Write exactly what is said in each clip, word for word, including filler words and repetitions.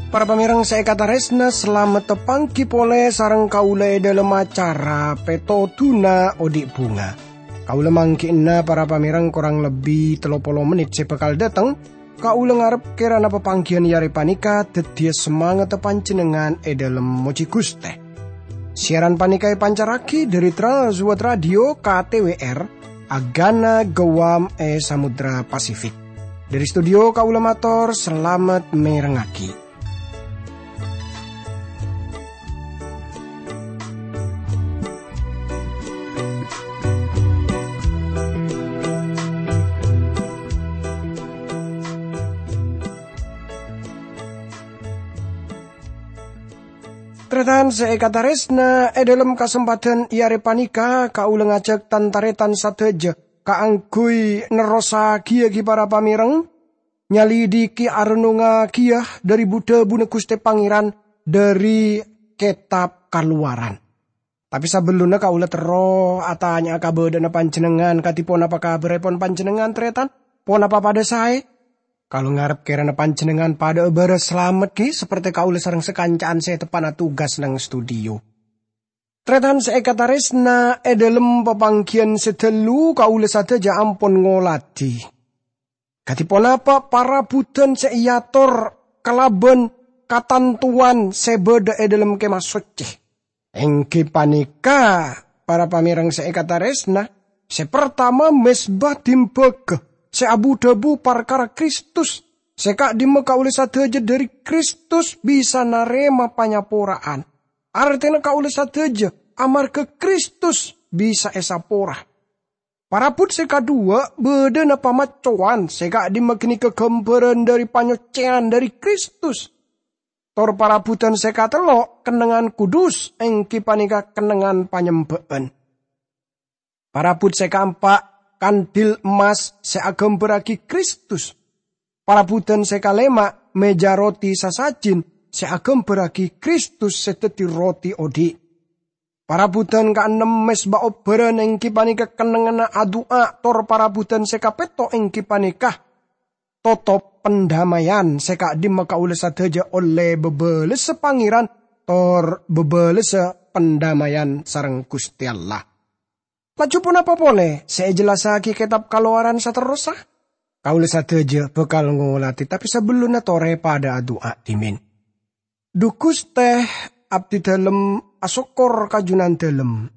Para pamèrèng sè èkatarèsna, salamet tapangghi polè sareng kaulâ è dhâlem acara Pètodhuna Odi' Bhunga. Kaulâ mangghi'na para pamèrèng korang lebbi tello polo mennit sè bhâkal dâteng. Kaulâ ngarep kèrana papangghiyân è arè panèka dhâddhiyâ samangatta panjhennengngan è dhâlem mojhi Ghustè. Siaran panèka èpancarraghi dhâri Trans World Radio K T W R, Agana Guam è Samudra Pasifik. Dhâri studio kaulâ mator salamet mèrengngaghi. Tarètan sè èkatarèsna, è dhâlem kasempadhân è arè panèka kaulâ ngajhâk tan-tarètan sadhâjâ kaangghuy nerrossaghiyâ ghi para pamèrèng, nyalidiki arennongngaghiyâ dhâri bu-dhâbuna Ghustè Pangèran dhâri Kètab Kalowaran. Tapè sabellunna kaulâ terro atanya'a kabâdâ'ânna panjhennengngan, kadhi ponapa kabhârrèpon panjhennengngan, tarètan? Ponapa padâ saè? Kaulâ ngarep kèrana panjhennengngan padâ'â bârâs salamet, ghi, sapertè kaulâ sareng sakanca'an sè teppa'na tugas neng studio. Tarètan sè èkatarèsna, è dhâlem papangghiyân sè dâllu kaulâ sadhâjâ ampon ngolatè kadhi ponapa parabhudhân sè èator kalabân katantowan sè bâdâ è dhâlem Kèma Soccè. Èngghi panèka, para pamèrèng sè èkatarèsna, sè partama mezba dimbâgâ sè abu-dhâbu parkara Kristus, sè ka'dimma kaulâ sadhâjâ dhâri Kristus bisa narèma panyapora'an. Artèna kaulâ sadhâjâ amarghâ Kristus bisa èsapora. Parabhut sè kaduwâ' bâdâna pamaccowan sè ka'dimma ghânèka ghâmbhârân dhâri panyoccèyan dhâri Kristus. Tor parabhudhân sè katello' kennengngan kudus, èngghi panèka kennengngan panyembâ'ân. Parabhut sè kaempa' kandil emmas sè aghâmbhârraghi Kristus. Parabhudhân sè kalèma' mèja roti sasajin sè aghâmbhârraghi Kristus sè dhâddhi roti odi'. Parabhudhân kaennem mezba obbhârân èngghi panèka kennengnganna adu'a, tor parabhudhân sè kapètto' èngghi panèka totop pandhâmayan sè ka'dimma kaulâ sadhâjâ ollè bâbâlessa Pangèran tor bâbâlessa pandhâmayan sareng Ghustè Allah. Laju ponapa polè sè èjellassaghi Kètab Kalowaran saterrossa? Kaulâ sadhâjâ bhâkal ngolatè, tapè sabellunna torè padâ adu'a dhimèn. Dhu Ghustè, abdhi dhâlem asokkor ka Jhunandhâlem.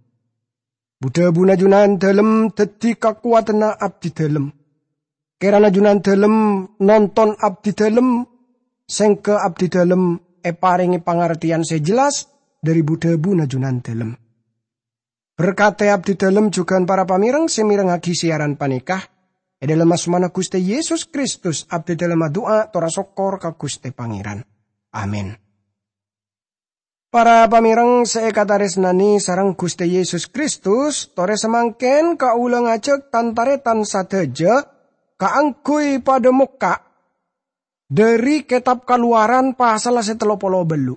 Bu-dhâbuna Jhunandhâlem dhâddhi kakowadhânna abdhi dhâlem. Kèrana Jhunandhâlem nonton abdhi dhâlem, sèngghâ abdhi dhâlem èparèngè pangartèyan sè jelas dhâri bu-dhâbuna Jhunandhâlem. Berkadhi abdhi dhâlem jhughân para pamèrèng sè mèrengngaghi siaran panèka. È dhâlem asmana Ghustè Yesus Kristus, abdhi dhâlem adu'a tor asokkor ka Ghustè Pangèran. Amin. Para pamèrèng sè èkatarèsnanè sareng Ghustè Yesus Kristus, torè samangkèn kaulâ ngajhâk tan-tarètan sadhâjâ kaangghuy padâ mokka' dhâri Kètab Kalowaran pasalla sè tello polo bâllu'.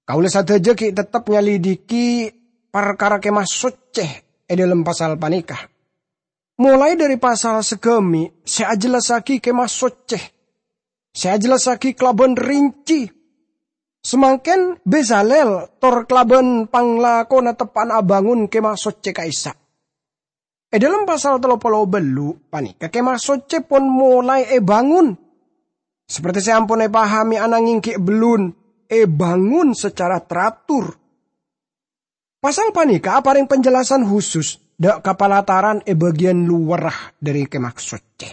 Kaulâ sadhâjâ ghi' teptep nyalidiki parkara Kèma Soccè è dhâlem pasal panèka. Molaè dhâri pasal saghâmè' sè ajellassaghi Kèma Soccè, sè ajellassaghi kalabân rinci. Samangkèn Bezalel tor kalabân panglakona teppa'na abângon Kèma Soccè ka'issa'. È dhâlem pasal tello polo bâllu' panèka Kèma Soccè pon molaè èbângon. Sapertè sè ampon èpahamè ananggèng ghi' bellun èbângon sacara teratur. Pasal panèka aparèng penjelasan husus dhâ' ka palataran è bâgiyân lowarra dhâri Kèma Soccè.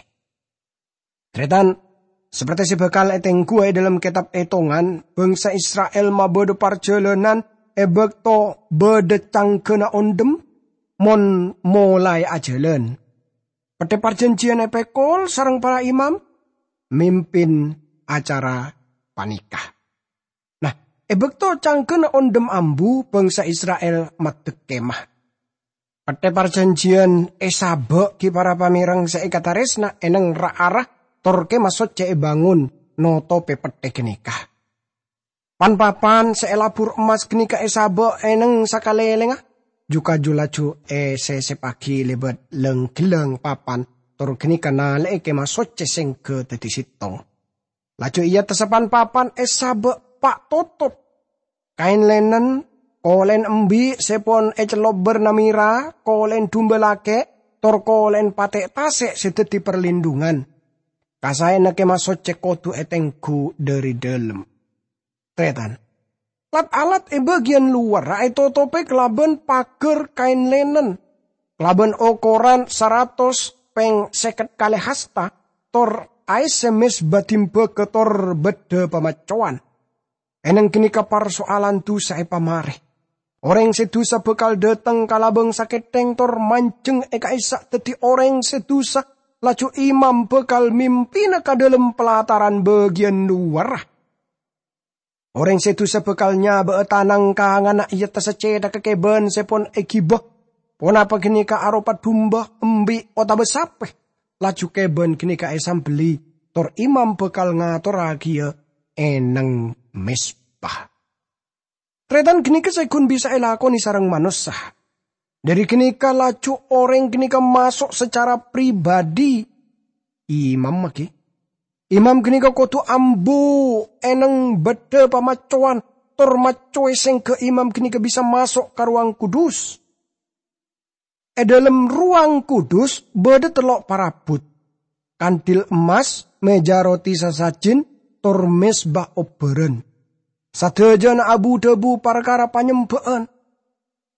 Tarètan, sapertè sè bhâkal ètèngguwâ è dhâlem Kètab Ètongan, bhângsa Isra'il mabâdâ parjhâlânan è bâkto bâdâ cangghâna ondhem mon molaè ajhâlân. Pettè Parjhânjhiyân èpèkol sareng para imam mimpin acara panèka. Nah, è bâkto cangghâna ondhem ambu, bhângsa Isra'il maddhek kemah. Pettè Parjhânjhiyân èsabâ' ghi' para pamèrèng sè èkatarèsna è neng ra-ara, tor Kemah Soccè èbângon notopè pettè ghânèka. Pan-papan sè èlabur emmas ghânèka èsabâ' è neng sakalèlèngnga, ju-kaju laju èsèsèpaghi lèbât lâng-ghellâng papan, tor ghânèka nalè'è Kèma Soccè sèngghâ dhâddhi sèttong. Laju è attassa pan-papan èsabâ' pa' totop. Kaèn lènen, kolèn embi' sè pon ècellop bârna mèra, kolèn dumba lakè', tor kolèn patè' tasè' sè dhâddhi parlindhungan. Kasaèna Kèma Soccè kodhu ètengghu dhâri dhâlem. Tarètan, lat-alat è bâgiyân lowarra ètotopè kalabân paghâr kaèn lènen, kalabân okoran saratos pèng sèket kalè hasta, tor aèssè mezba dimbaghâ tor bâddhâ pamaccowan. È neng ghânèka parsoalan dusa èpamarè. Orèng sè dusa bhâkal dhâteng ka labâng sakèthèng tor manjheng è ka'issa' dhâddhi orèng sè dusa, laju imam bhâkal mimpina ka dhâlem palataran bâgiyân lowarra. Orèng sè dusa bhâkal nyabâ'â tanang kanganna è attassa cèthagghâ kèbân sè pon èghibâ, ponapa ghânèka aropa dumba, embi', otabâ sapè, laju kèbân ghânèka èsambelli, tor imam bhâkal ngatorraghiyâ è neng mezba. Tarètan, ghânèka sè ghun bisa èlakonè sareng manossa. Dhâri ghânèka laju orèng ghânèka maso' sacara pribadhi imam, maghi. Imam ghânèka kodhu ambu è neng bâddhâ pamaccowan, tor maccowè sèngghâ imam ghânèka bisa maso' ka Rowang Kudus. È dhâlem Rowang Kudus bâdâ tello' parabut, kandil emmas, mèja roti sasajin, tor mezba obbhârân. Sadhâjâna abu-dhâbu parkara panyembhâ'ân.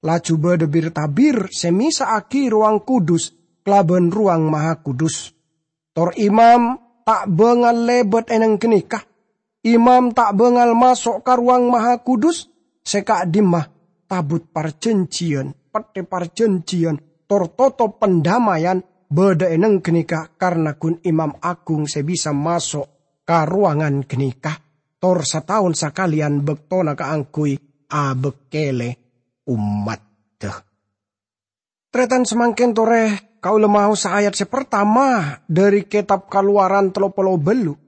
Laju bâdâ bir-tabir sè mèsa'aghi Rowang Kudus kalabân Rowang Mahakudus. Tor imam ta' bângal lèbât è neng ghânèka. Imam ta' bângal maso' ka Rowang Mahakudus, sè ka'dimma Tabut Parjhânjhiyân, Pettè Parjhânjhiyân, tor totop pandamaian bâdâ è neng ghânèka, karna ghun imam aghung sè bisa maso' ka rowangan ghânèka, tor sataon sakalèyan bâktona kaangghuy abâkkèlè ommaddhâ. Tarètan, samangkèn torè kaulâ maosa ayat sè partama dhâri Kètab Kalowaran tello polo bâllu'.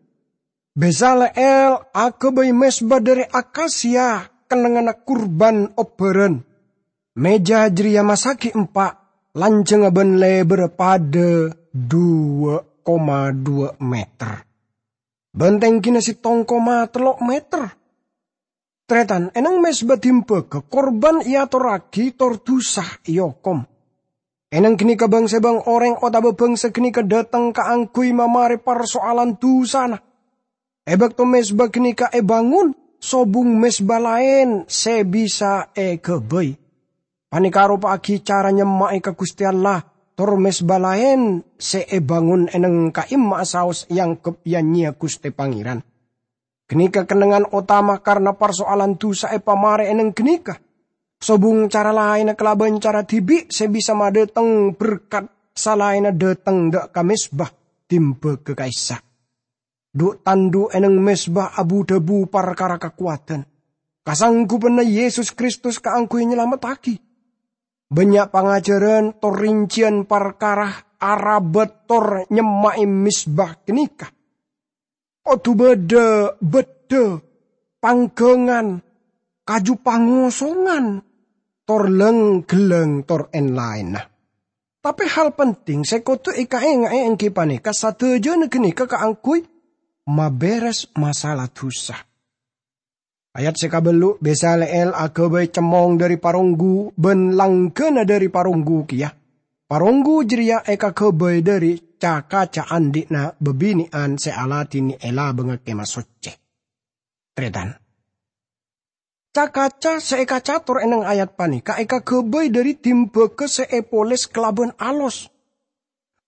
Bezaleel aghâbây mezba dhâri akasia kennengnganna kurban obbhârân. Mèja jârèya massagi empa', lanjhângnga bân lèbârrâ padâ dhu koma dhu meter. Bân tèngghina sèttong koma tello meter. Tarètan, è neng mezba dimbaghâ kurban èatorraghi tor dusa èokom. È neng ghânèka bâng-sèbâng orèng otabâ bangsa ghânèka dhâteng kaangghuy mamarè parsoalan dusana. È bâkto mezba ghânèka èbângon, sobung mezba laèn sè bisa èghâbây. Panèka aropa'aghi cara nyemma'è ka Ghustè Allah, tor mezba laèn sè èbângon è neng ka'imma'a saos èangghep ya-nyèya Ghustè Pangèran. Ghânèka kennengngan otama karna parsoalan dusa èpamarè è neng ghânèka. Sobung cara laènna kalabân cara dhibi' sè bisa madhâteng berkat salaènna dhâteng dâ' ka mezba dimbaghâ ka'issa'. Dhu'-tandhu' è neng mezba abu-dhâbu parkara kakowadhân, kasangghupanna Yesus Kristus kaangghuy nyalamettaghi. Bânnya' pangajhârân tor rincèyan parkara arabât tor nyemma'è mezba ghânèka. Kodhu bâdâ bâddhâ, pangghângan, kaju pangosongan, tor lâng-ghellâng, tor èn-laènna. Tapè hal penting sè kodhu èkaènga'è èngghi panèka sadhâjâna ghânèka kaangghuy mabèrès masalah dusa. Ayat sè kabâllu', Bezaleel aghâbây cemmong dhâri paronggu bân langghâna dhâri paronggu kèya. Paronggu jârèya èkaghâbây dhâri ca-kaca andi'na bâbinè'an sè aladhinè è labângnga Kèma Soccè. Tarètan. Ca-kaca sè èkacator è neng ayat panèka èkaghâbây dhâri dimbaghâ sè èpoles kalabân alos.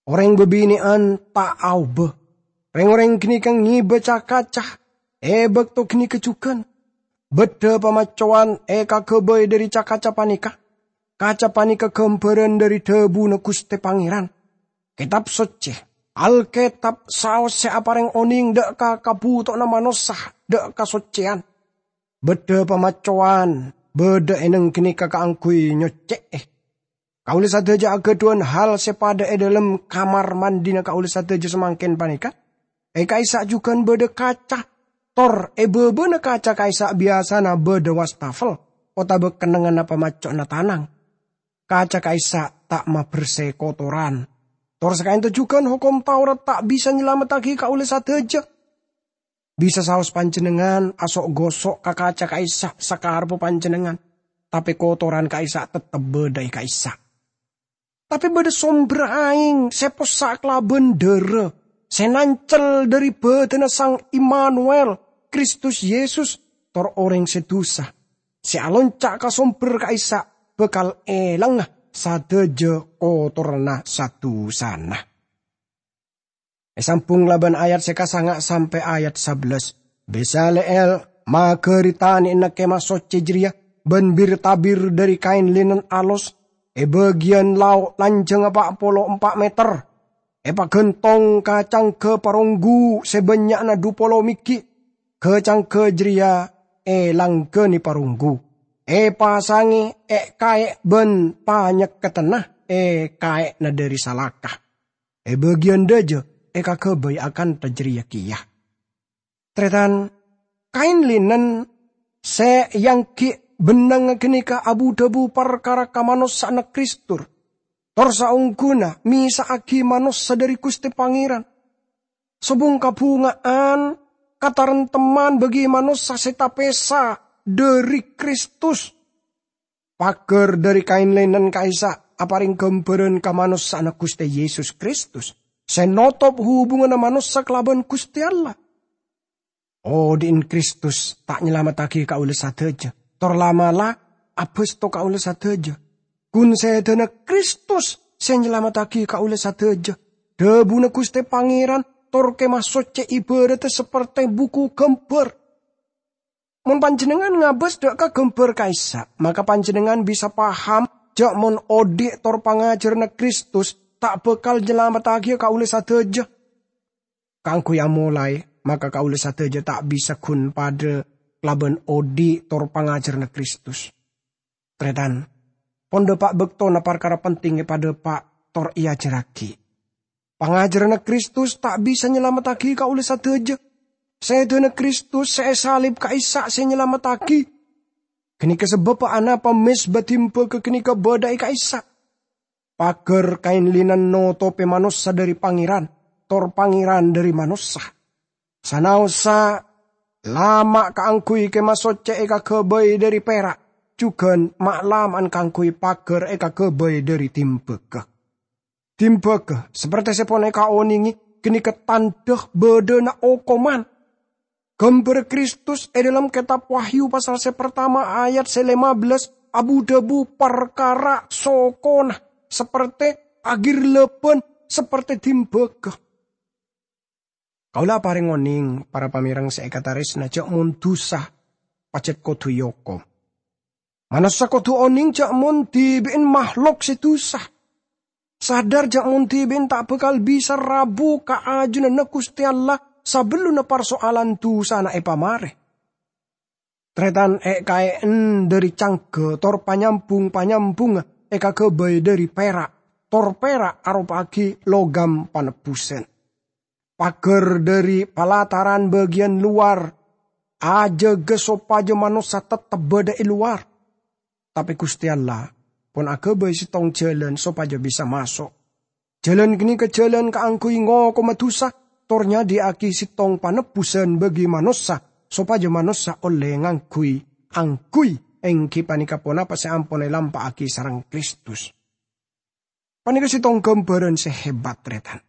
Orèng bâbinè'an ta' aobâ. Rèng-orèng ghânèka ngèbâ ca-kaca è bâkto ghânèka jhughân. Bâddhâ pamaccowan èkaghâbây dhâri ca-kaca panèka. Kaca panèka ghâmbhârân dhâri dhâbuna Ghustè Pangèran. Kètab Soccè, Alkètab, saos sè aparèng onèng dâ' ka kabhutowanna manossa, dâ' kasoccèyan. Bâddhâ pamaccowan bâdâ è neng ghânèka kaangghuy nyoccè'è. Kaulâ sadhâjâ aghâdhuwân hal sè padâ è dhâlem kamar mandhina kaulâ sadhâjâ samangkèn panèka. È ka'issa' jhughân bâdâ kaca. Tor è bâbâna kaca ka'issa' biyasana bâdâ wastafel otabâ kennengnganna pamacco'na tanang. Kaca ka'issa' ta' mabersè kotoran. Tor sakaènto jhughân Hokom Taurat ta' bisa nyalamettaghi kaulâ sadhâjâ. Bisa saos panjhennengngan aso'-goso' ka kaca ka'issa' sakarebbhâ panjhennengngan, tapè kotoran ka'issa' teptep bâdâ è ka'issa'. Tapè bâdâ sombher aèng sè possa' kalabân dârâ, sè nancel dâri bâdâna Sang Imanuel, Kristus Yesus, tor orèng sè dusa, sè alonca' ka sombher ka'issa' bhâkal èlangnga sadhâjâ kotoranna sa-dusana. Èsambhung labân ayat sè kasanga' sampè' ayat sabellâs. Bezaleel maghâri tanè'na Kemah Soccè jârèya bân bir-tabir dâri kaèn linen alos, è bâgiyân lao' lanjhângnga pa' polo empa' meter. Èpaghântong ka cangghâ paronggu sè bânnya'na dhu polo mèghi'. Ghâ-cangghâ jârèya èlangghânè paronggu, èpasangè è-kaè' bân panyekkedhânna è kaè'na dâri salaka. È bâgiyân dâjâ èkaghâbây akantha jârèya kèya. Tarètan, kaèn linen sè èangghi' bennengnga ghânèka abu-dhâbu parkara kamanossa'anna Kristus, tor saongghuna mèsa'aghi manossa dâri Ghustè Pangèran. Sobung-kabhunga'an kataremtemman bagi manossa sè tapèsa dâri Kristus. Paghâr dâri kaèn linen ka'issa' aparèng ghâmbhârân kamanossa'anna Ghustè Yesus Kristus, sè notop hubunganna manossa kalabân Ghustè Allah. Odi'en Kristus ta' nyalamettaghi kaulâ sadhâjâ, tor la'-mala' abhâsto kaulâ sadhâjâ. Ghun sèdhâna Kristus sè nyalamettaghi kaulâ sadhâjâ. Dhâbuna Ghustè Pangèran, tor Kemah Soccè èbhârâddhâ sapertè buku ghâmbhâr. Mon panjhennengngan ngabâs dâ' ka ghâmbhâr ka'issa', maka panjhennengngan bisa paham jâ' mon odi' tor pangajhârânna Kristus ta' bhâkal nyalamettaghiyâ kaulâ sadhâjâ. Kaangghuy amolaè, maka kaulâ sadhâjâ ta' bisa ghun padâ kalabân odi' tor pangajhârânna Kristus. Tarètan, pon dâpa' bâktona parkara penting èpadâpa' tor èajhârraghi. Pangajhârânna Kristus ta' bisa nyalamettaghi kaulâ sadhâjâ. Sèdhâna Kristus sè èsalib ka'issa' sè nyalamettaghi. Ghânèka sabâbbhâ anapa mezba dimbâghâ ghânèka bâdâ è ka'issa'. Paghâr kaèn linen notopè manossa dâri Pangèran, tor Pangèran dâri manossa. Sanaossa lama' kaangghuy Kemah Soccè èkaghâbây dâri pèra', jhughân ma'-lama'an kaangghuy paghâr èkaghâbây dâri dimbâghâ. Dimbâghâ, sapertè sè pon èkaonèngè, ghânèka tandhâ bâdâna okoman. Ghâmbhârrâ Kristus è dhâlem Kètab Wahyu pasal sè partama ayat sè lèma bellâs abu-dhâbu parkara sokona, sapertè aghirlâbân, sapertè dimbâghâ. Kaulâ aparèng onèng, para pamèreng sè èkatarèsna, jâ' mon dusa pajhât kodhu èokom. Manossa kodhu onèng jâ' mon dhibi'en mahlok sè dusa. Sadar jâ' mon dhibi'en ta' bhâkal bisa rabu ka ajunanna Ghustè Allah sabellunna parsoalan dusana èpamarè. Tarètan, è-kaè'en dâri cangghâ tor panyambhung-panyambhungnga èkaghâbây dâri pèra', tor pèra' aropa'aghi logam panebbhusân. Paghâr dâri palataran bâgiyân lowar ajâgâ sopajâ manossa teptep bâdâ è lowar. Tapè Ghustè Allah pon aghâbây sèttong jhâlân sopajâ bisa maso'. Jhâlân ghânèka jhâlân kaangghuy ngokoma dusa, tor nyadhiyâ'aghi sèttong panebbhusân bagi manossa, sopajâ manossa ollè ngangghuy, angghuy èngghi panèka ponapa sè ampon èlampa'aghi sareng Kristus. Panèka sèttong ghâmbhârân sè hebat, tarètan.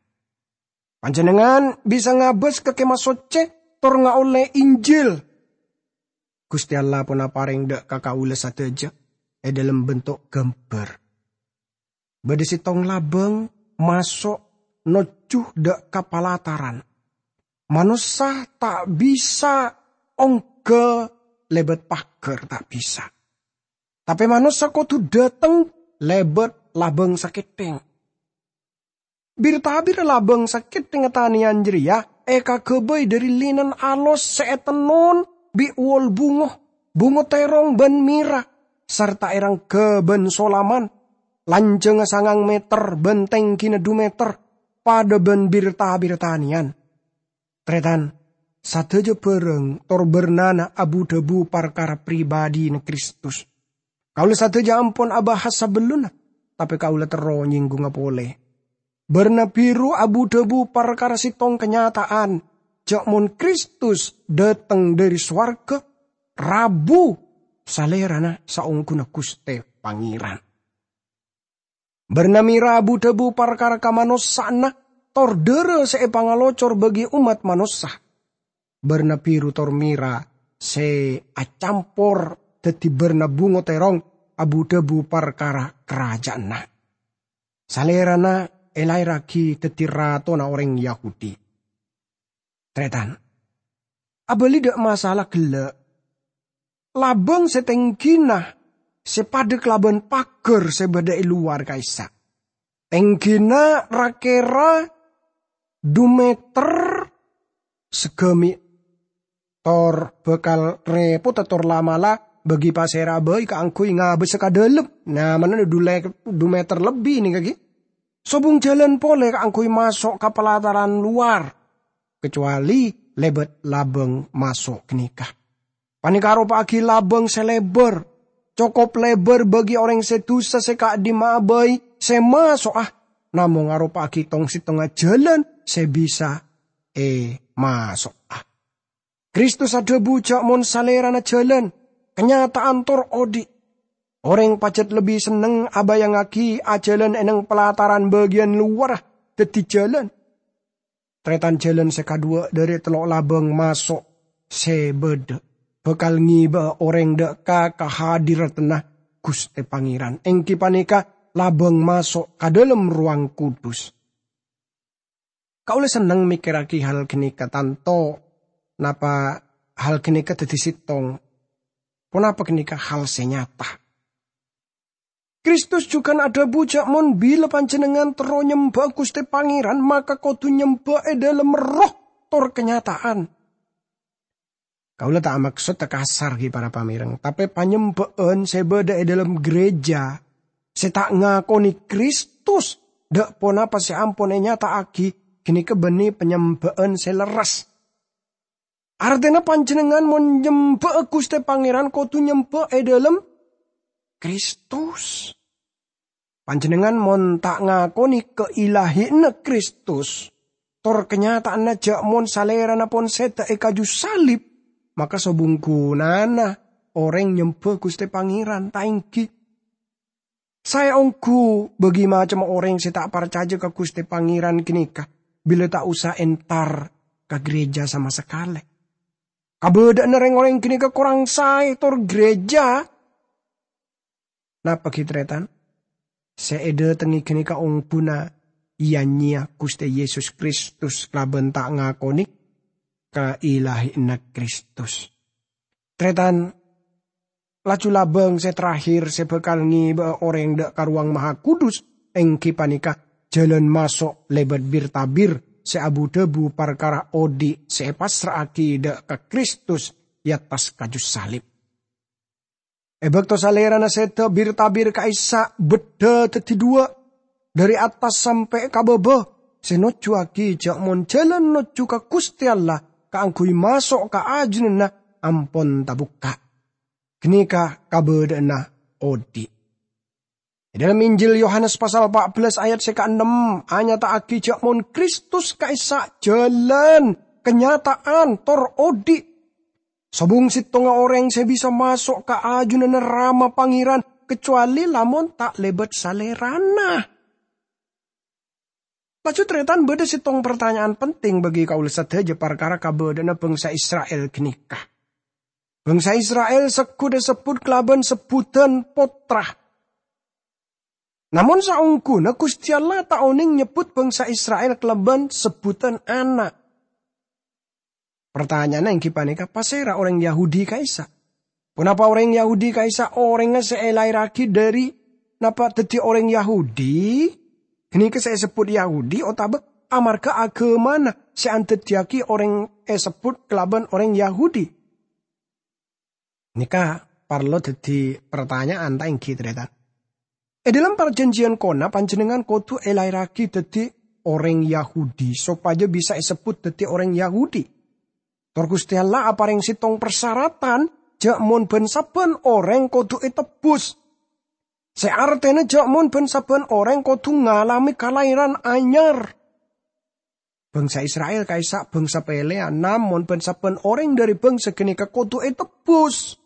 Panjhennengngan bisa ngabâs ka Kemah Soccè tor ngaollè Injil. Ghustè Allah pon aparèng dâ' ka kaulâ sadhâjâ è dhâlem bentuk ghâmbhâr. Bâdâ sèttong labâng maso' nojjhu dâ' ka palataran. Manossa ta' bisa ongghâ lèbât paghâr, ta' bisa. Tapè manossa kodhu dâteng lèbât labâng sakèthèng. Bir-tabirra labâng sakèthèngnga tanèyan jârèya èkaghâbây dâri linen alos sè ètennon bi' wol bungo, bungo tèrong bân mèra, sarta èrangghâ bân solaman, lanjhângnga sangang mèter bân tèngghina dhu mèter, padâ bân bir-tabirra tanèyan. Tarètan, Sadhâjâ bhârâng tor bârnana abu-dhâbu parkara pribadhina Kristus. Kaulâ sadhâjâ ampon abahas sabellunna, tapè kaulâ terro nyèngghungnga polè. Bârna bhiru abu-dhâbu parkara sèttong kanyata'an, jhâ' mon Kristus dâteng dâri sowarghâ, rabu Salèrana saongghuna Ghustè Pangèran. Bârna mèra abu-dhâbu parkara kamanossa'anna tor dârâ sè èpangalocor bagi ommat manossa. Bârna bhiru tor mèra sè acampor dhâddhi bârna bungo tèrong abu-dhâbu parkara karajâânna. Salèrana èlaèrraghi dhâddhi ratona orèng Yahudi. Tarètan, abâli dâ' masalah ghellâ'. Labâng sè tèngghina sè padâ kalabân paghâr sè bâdâ è lowar ka'issa'. Tèngghina ra-kèra du mèter saghâmi'. Tor bhâkal rèpodhâ tor la'-mala' bagi pasèra bhâi kaangghuy ngabâsa ka dâlem. Nyamana du le-, du mèter lebbi nèka ghi. Sobung jhâlân polè kaangghuy maso' ka palataran lowar, kacowalè lèbât labâng maso' ghânèka. Panèka aropa'aghi labâng sè lèbâr, cokop lèbâr bagi orèng sè dusa sè ka'dimma'a bhâi sè maso'a, namong aropa'aghi tong-sèttongnga jhâlân sè bisa èmaso'a. Kristus adhâbu jhâ' mon Salèrana jhâlân, kanyata'an tor odi'. Orèng pajhât lebbi senneng abâjângngaghi ajhâlân è neng palataran bâgiyân lowarra dhâddhi jhâlân. Tarètan, jhâlân sè kadhuwâ' dâri tello' labâng maso' sè bâdâ bhâkal ngèbâ'â orèng dâ' ka kahadiradhânna Ghustè Pangèran, èngghi panèka labâng maso' ka dâlem rowang kudus. Kaulâ senneng mèkkèrraghi hal ghânèka, tanto napa hal ghânèka dhâddhi sèttong. Ponapa ghânèka hal sè nyata? Kristus jhughân adhâbu jhâ' mon bilâ panjhennengngan terro nyembâ'â Ghustè Pangèran, maka kodhu nyembâ è dâlem erroh tor kanyata'an. Kaulâ ta' maksod kasar, ghi, para pamèreng, tapè panyembâ'ân sè bâdâ è dâlem ghârèjâ sè ta' ngakonè Kristus dâ' ponapa sè ampon ènyata'aghi ghânèka bânnè panyembâ'ân sè lerres. Artèna panjhennengngan mon nyembâ'â Ghustè Pangèran kodhu nyembâ è dâlem Kristus. Panjhennengngan mon ta' ngakonè kailahina Kristus, tor kanyata'anna jhâ' mon Salèrana pon sèdhâ è kaju salib, maka sobung ghunana orèng nyembâ Ghustè Pangèran, ta' èngghi? Saè ongghu bâgi macemma orèng sè ta' parcajâ ka Ghustè Pangèran ghânèka, bilâ ta' osa entar ka ghârèjâ sama sakalè. Kabâdâ'ânna rèng-orèng ghânèka korang saè tor ghârèjâ. Napa ghi, tarètan? Sè èdâtengngè ghânèka ongguna ya-nyeya Ghustè Yesus Kristus kalabân ta' ngakonè kailahina Kristus. Tarètan, laju labâng sè terakhir sè bhâkal ngèbâ'â orèng dâ' ka Rowang Mahakudus èngghi panèka jhâlân maso' lèbât bir-tabir sè abu-dhâbu parkara odi' sè èpassra'aghi dâ' ka Kristus è attas kaju salib. È bâkto Salèrana sèdhâ, bir-tabir ka'issa' beddhâ dhâddhi dhuwâ', dâri attas sampè' ka bâbâ, sè nojjuwâghi jhâ' mon jhâlân nojju ka Ghustè Allah kaangghuy maso' ka ajunanna ampon tabukka'. Ghânèka kabâdâ'ânna odi'. È dâlem Injil Yohanes pasal pa' bellâs ayat sè kaennem anyata'aghi jhâ' mon Kristus ka'issa' jhâlân, kanyata'an, tor odi'. Sobung sèttonga orèng sè bisa maso' ka ajunanna Rama Pangèran, kacowalè lamon ta' lèbât Salèrana. Laju, tarètan, bâdâ sèttong partanya'an penting bagi kaulâ sadhâjâ parkara kabâdâ'ânna bangsa Isra'il ghânèka. Bangsa Isra'il segghut èsebbhut kalabân sebbhudhân pottra. Namong saongghuna Ghustè Allah ta' onèng nyebbhut bangsa Isra'il kalabân sebbhudhân ana'. Partanya'anna èngghi panèka, pasèra orèng Yahudi ka'issa'? Ponapa orèng Yahudi ka'issa' orèngnga sè èlaèrraghi dâri napa dhâddhi orèng Yahudi? Ghânèka sè èsebbhut Yahudi otabâ amarghâ aghâmana sè andhâddhiyâghi orèng èsebbhut kalabân orèng Yahudi? Nèka parlo dhâddhi partanya'an, ta' èngghi, tarètan? È dâlem Parjhânjhiyân Kana, panjhennengngan kodhu èlaèrraghi dhâddhi orèng Yahudi sopajâ bisa èsebbhut dhâddhi orèng Yahudi. Tor Guste Allah apareng settong parsaratan ja' mon ban-sabban oreng kodu etebbus. Se artena ja' mon ban-sabban oreng kodu ngalame kalaeran anyar. Bangsa Israel ka'issa' bangsa peleyan, namon ban-sabban oreng dhari bangsa ganeka kodu etebbus.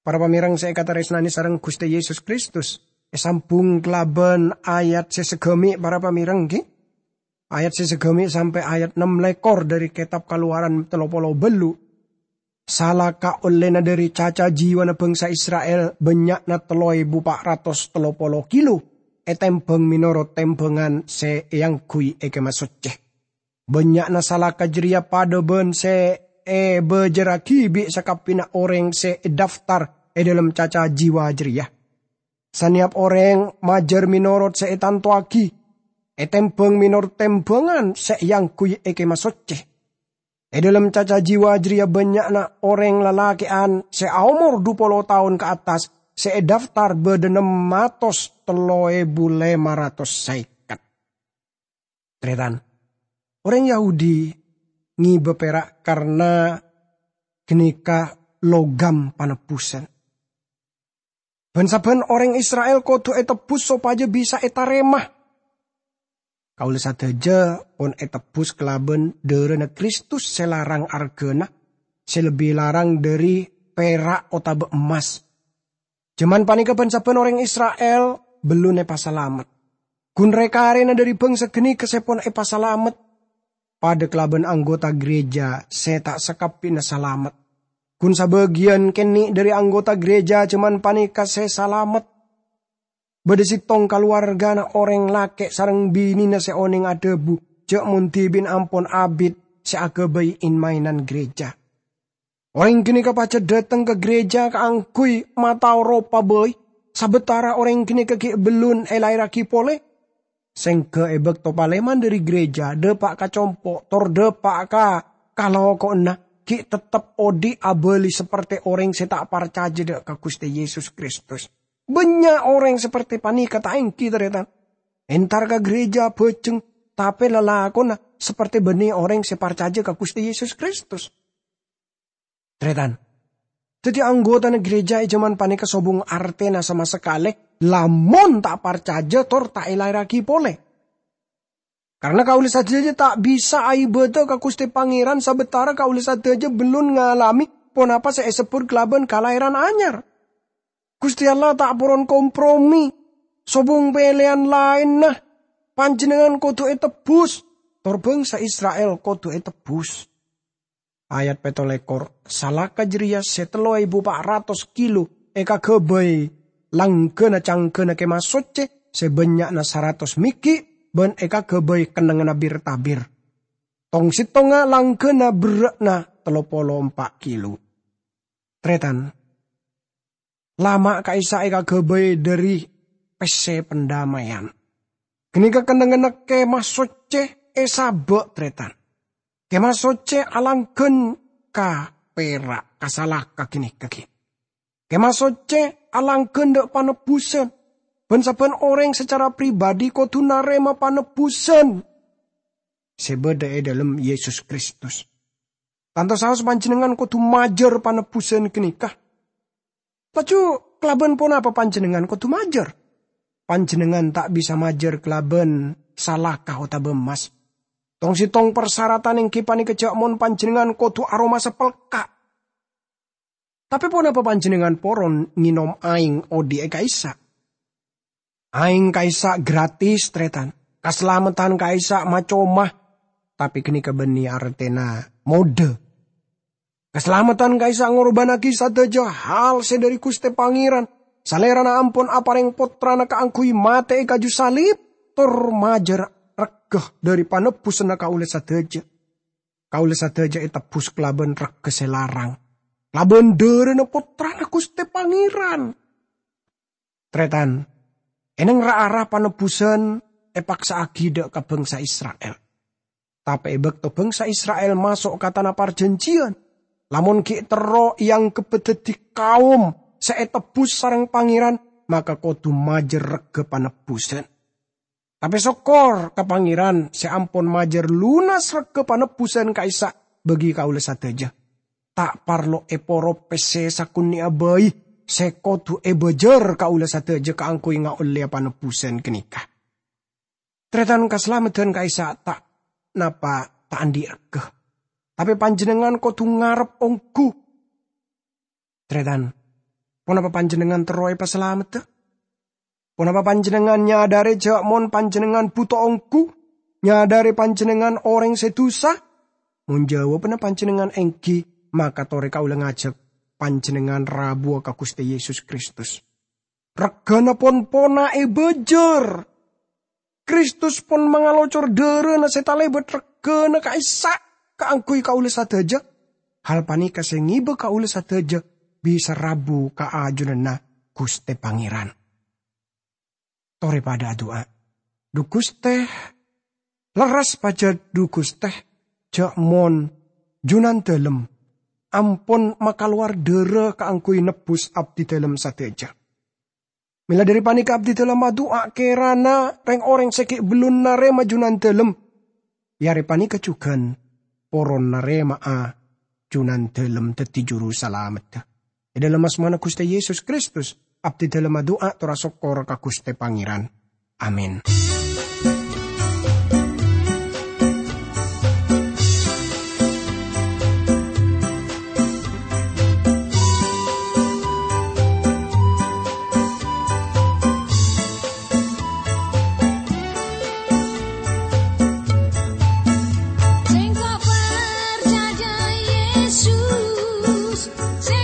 Para pamereng se ekataresnane sareng Guste Yesus Kristus, esambung kalaban ayat se sagami', para pamereng, gi? Ayat se sagami' sampe' ayat ennem lekor dhari Ketab Kalowaran tello polo ballu'. Salaka ollena dhari caca jiwana bangsa Israel bannya'na tello ebu pa' ratos tello polo kilo, etembang menorot tembangan se eangguy e Kemah Socce. Bannya'na salaka jareya padha ban se ebajarragi bi' sakabbina oreng se edaftar e dhalem caca jiwa jareya. Saneyap oreng majar menorot se etantowagi, etembang menorot tembangan se eangguy e Kemah Socce. E dhalem caca jiwa jareya bannya'na oreng lalake'an se aomor dhu polo taon ka attas se edaftar badha nem atos tello ebu lema ratos seket. Taretan, oreng Yahudi ngeba pera' karna ganeka logam panebbusan. Ban-sabban oreng Israel kodu etebbus sopaja bisa etarema. Kaula sadaja pon etebbus kalaban dharana Kristus se larang argana, se lebbi larang dhari pera' otaba emmas. Jaman paneka ban-sabban oreng Israel bellun epasalamet. Gun re-karena dhari bangsa ganeka se pon epasalamet, padha kalaban anggota gereja se ta' sakabbina salamet. Gun sabagiyan kene' dhari anggota gereja jaman paneka se salamet. Badha settong kalowargana oreng lake' sareng binena se oneng adhabu ja' mon dhibi'na ampon abit se agabay en-maenan gereja. Oreng ganeka pajat dhateng ka gereja kaangguy matao ropa bai, sabatara oreng ganeka gi' bellun elaerragi pole. Sengga e bakto paleman dhari gereja, dhapa' ka compo', tor dhapa' ka kaloko'na, gi' tettep odhi' abali saperte oreng se ta' parcaja dha' ka Guste Yesus Kristus. Bannya' oreng saperte paneka ta' enggi, taretan. Entar ka gereja bajeng, tape lalakonna saperte banne oreng se parcaja ka Guste Yesus Kristus. Taretan, daddi anggotana gereja e jaman paneka sobung artena sama sakale, lamon ta' parcaja tor ta' elaerragi pole. Karna kaula sadaja ta' bisa aibada ka Guste Pangeran sabatara kaula sadaja bellun ngalame ponapa se esebbut kalaban kalaeran anyar. Guste Allah ta' poron kompromi. Sobung peleyan laenna, panjennengngan kodu etebbus, tor bangsa Israel kodu etebbus. Ayat petto lekor, salaka jareya se tello ebu pa' ratos kilo ekagabay langgana canggana Kemah Socce se bannya'na saratos meggi' ban ekagabay kennengnganna bir-tabir. Tong-settongnga langgana berra'na tello polo empa' kilo. Taretan, lama' ka'issa' ekagabay dhari pesse pandamaiyan. Ganeka kennengnganna Kemah Socce esaba', taretan. Kemah Socce alanggan ka pera', ka salaka ganeka gi'. Kemah Socce alanggan dha' panebbusan, ban sabban oreng sacara pribadi kodu narema panebbusan se badha e dhalem Yesus Kristus. Tanto saos panjennengngan kodu majâr panebbusan ganeka. Laju, kalaban ponapa panjennengngan kodu majâr? Panjennengngan ta' bisa majâr kalaban salaka otaba emmas. Tong-settong parsaratan enggi paneka jâ' mon panjennengngan kodu aromasa pelka'. Tape ponapa panjennengngan poron ngenom aeng odhi'e ka'issa'? Aeng ka'issa' gratis, taretan. Kasalameddhân ka'issa' ma-coma, tape ganeka banne artena modha. Kasalameddhân ka'issa' ngorbannagi sadaja hal se dhari Guste Pangeran. Salerana ampon apareng Pottrana kaangguy mate e kaju salib, tor majâr regga dhari panebbusanna kaula sadaja. Kaula sadaja etebbus kalaban regga se larang, kalaban dharana Pottrana Guste Pangeran. Taretan, eneng ra-ara panebbusan epaksa'agi dha' ka bangsa Isra'il. Tape e bakto bangsa Isra'il maso' ka Tana Parjanjiyan, lamon gi' terro eanggebbâ daddi kaom se etebbus sareng Pangeran, maka kodu majâr regga panebbusan. Tape sokkor ka Pangeran se ampon majâr lunas regga panebbusan ka'issa' bagi kaulâ sadhâjâ. Ta' parlo èporo pèssè sakonè'a bhâi sè kodhu èbâjâr kaulâ sadhâjâ kaangghuy ngaollèya panebbusan ghânèka. Tarètan, kasalameddhân ka'issa' ta' napa ta' andi' regghâ. Tapè panjhennengngan kodhu ngarep ongghu. Tarètan, ponapa panjhennengngan terro èpasalameddhâ? Ponapa panjhennengngan nyadhârè jhâ' mon panjhennengngan bhuto ongghu? Nyadhârè panjhennengngan orèng sè dhusa? Mon jhâwâbbhâ panjhennengngan èngghi, maka torè kaulâ ngajhâk panjhennengngan rabuwâ ka Ghustè Yesus Kristus. Regghâna pon-pona èbâjâr. Kristus pon mangalocor dhârâna sè talèbât regghâna ka'issa' kaangghuy kaulâ sadhâjâ. Hal panèka sè ngèbâ kaulâ sadhâjâ bisa rabu ka ajunanna Ghustè Pangèran. Torè padâ adu'a. Dhu Ghustè, lerres pajhât, dhu Ghustè, jhâ' mon Junandâlem ampon makalowar dhârâ kaangghuy nebbhus abdidâlem sadhâjâ. Mèla dhâri panèka abdidâlem adu'a kèrana rèng-orèng sè ghi' bellun narèma Junandâlem, è arè panèka jhughân poron narèma'a Junandâlem dhâddhi Juru Salamedda. È dhâlem asmana Ghustè Yesus Kristus, abdidâlem adu'a tor asokkor ka Ghustè Pangèran. Amin. Sèngko' parcajâ Yesus, sè